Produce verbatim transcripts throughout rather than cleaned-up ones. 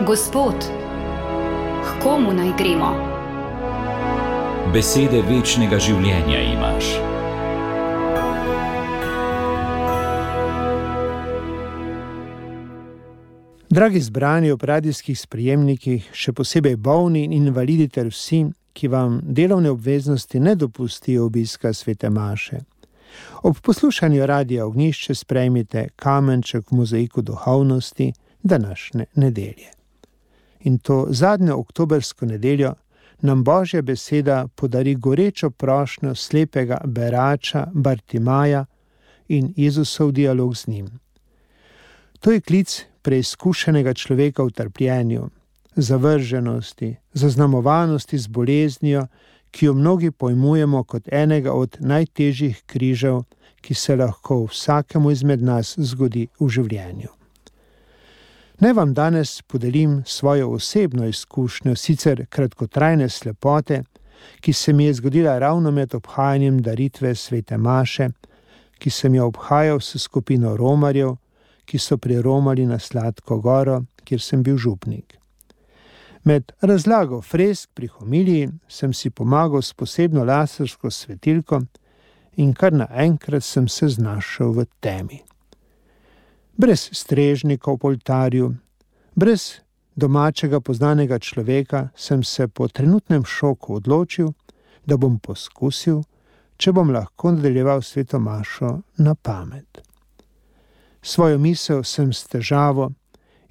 Gospod, k komu naj gremo? Besede večnega življenja imaš. Dragi zbrani ob radijskih sprejemnikih, še posebej bolni in invalidi ter vsi, ki vam delovne obveznosti ne dopustijo obiska svete maše. Ob poslušanju Radia Ognjišče sprejmite kamenček v mozaiku duhovnosti današnje nedelje. In to zadnjo oktobrsko nedeljo nam Božja beseda podari gorečo prošnjo slepega berača Bartimaja in Jezusov dialog z njim. To je klic preizkušenega človeka v trpljenju, zavrženosti, zaznamovanosti z boleznijo, ki jo mnogi pojmujemo kot enega od najtežjih križev, ki se lahko vsakemu izmed nas zgodi v življenju. Naj vam danes podelim svojo osebno izkušnjo, sicer kratkotrajne slepote, ki se mi je zgodila ravno med obhajanjem daritve svete maše, ki sem jo obhajal s skupino romarjev, ki so priromali na Sladko goro, kjer sem bil župnik. Med razlago fresk pri homiliji sem si pomagal s posebno lasersko svetilko in kar naenkrat sem se znašel v temi. Brez strežnika v oltarju, brez domačega poznanega človeka sem se po trenutnem šoku odločil, da bom poskusil, če bom lahko nadaljeval sveto mašo na pamet. Svojo misel sem s težavo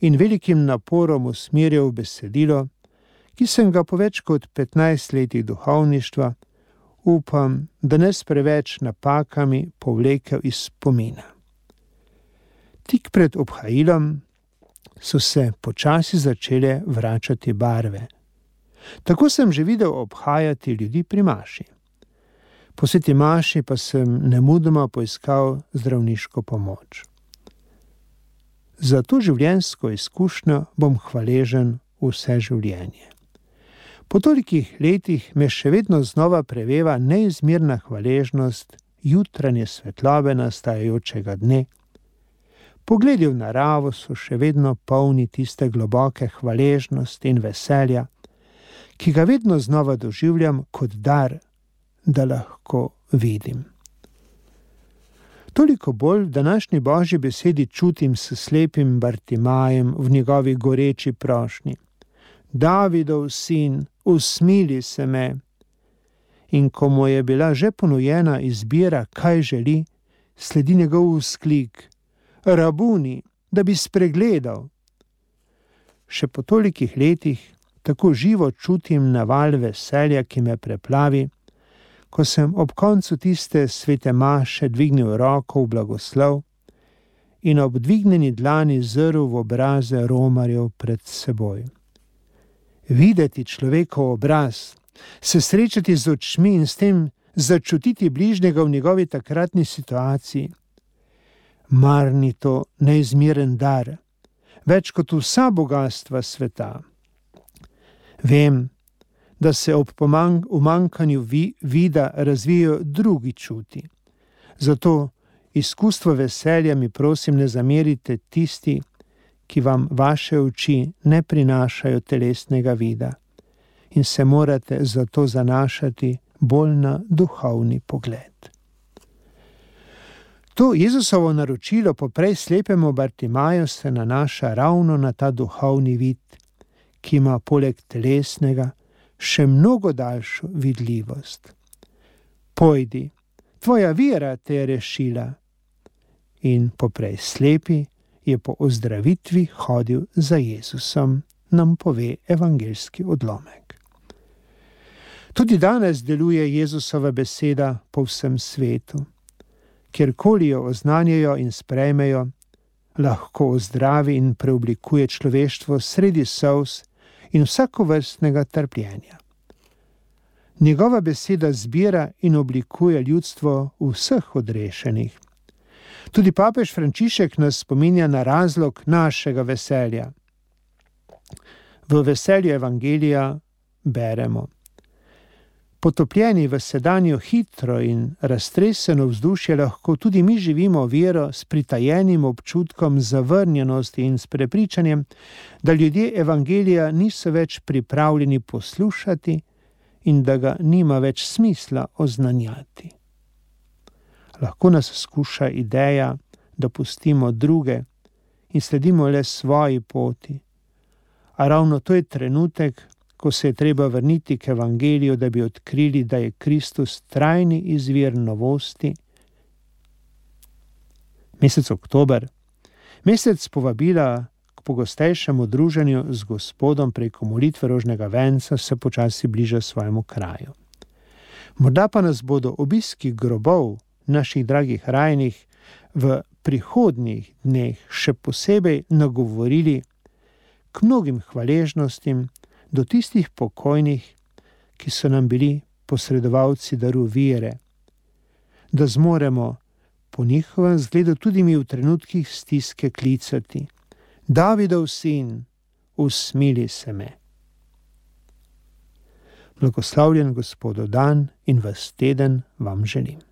in velikim naporom usmerjal v besedilo, ki sem ga po več kot petnajst letih duhovništva, upam, da ne s preveč napakami povlekel iz spomina. Tik pred obhajilom so se počasi začele vračati barve. Tako sem že videl obhajati ljudi pri maši. Po sveti maši pa sem nemudoma poiskal zdravniško pomoč. Za to življenjsko izkušnjo bom hvaležen vse življenje. Po tolikih letih me še vedno znova preveva neizmerna hvaležnost jutranje svetlobe nastajajočega dne. Pogledi v naravo so še vedno polni tiste globoke hvaležnosti in veselja, ki ga vedno znova doživljam kot dar, da lahko vidim. Toliko bolj v današnji Božji besedi čutim s slepim Bartimajem v njegovi goreči prošnji. Davidov sin, usmili se me. In ko mu je bila že ponujena izbira, kaj želi, sledi njegov vzklik: Rabuni, da bi spregledal. Še po tolikih letih tako živo čutim naval veselja, ki me preplavi, ko sem ob koncu tiste svete maše dvignil roko v blagoslov in ob dvignjeni dlani zrl v obraze romarjev pred seboj. Videti človekov obraz, se srečati z očmi in s tem začutiti bližnjega v njegovi takratni situaciji. Mar ni to neizmeren dar, več kot vsa bogastva sveta. Vem, da se ob umanjkanju vi, vida razvijajo drugi čuti. Zato izkustvo veselja mi prosim ne zamerite tisti, ki vam vaše oči ne prinašajo telesnega vida in se morate zato zanašati bolj na duhovni pogled. To Jezusovo naročilo poprej slepemu Bartimaju se nanaša ravno na ta duhovni vid, ki ima poleg telesnega še mnogo daljšo vidljivost. Pojdi, tvoja vera te je rešila. In poprej slepi je po ozdravitvi hodil za Jezusom, nam pove evangeljski odlomek. Tudi danes deluje Jezusova beseda po vsem svetu. Kjerkoli jo oznanjajo in sprejmejo, lahko ozdravi in preoblikuje človeštvo sredi solz in vsakovrstnega trpljenja. Njegova beseda zbira in oblikuje ljudstvo vseh odrešenih. Tudi papež Frančišek nas spominja na razlog našega veselja. V veselju evangelija beremo: Potopljeni v sedanjo hitro in raztreseno vzdušje lahko tudi mi živimo vero s pritajenim občutkom zavrnjenosti in s prepričanjem, da ljudje evangelija niso več pripravljeni poslušati in da ga nima več smisla oznanjati. Lahko nas skuša ideja, da pustimo druge in sledimo le svoji poti. A ravno to je trenutek, ko se je treba vrniti k evangeliju, da bi odkrili, da je Kristus trajni izvir novosti. Mesec oktober, mesec povabila k pogostejšemu druženju z Gospodom preko molitve rožnega venca, se počasi bliža svojemu kraju. Morda pa nas bodo obiski grobov naših dragih rajnih v prihodnjih dneh še posebej nagovorili k mnogim hvaležnostim do tistih pokojnih, ki so nam bili posredovalci daru vere, da zmoremo po njihovem zgledu tudi mi v trenutkih stiske klicati: Davidov sin, usmili se me. Blagoslavljen Gospodov dan in ves teden vam želim.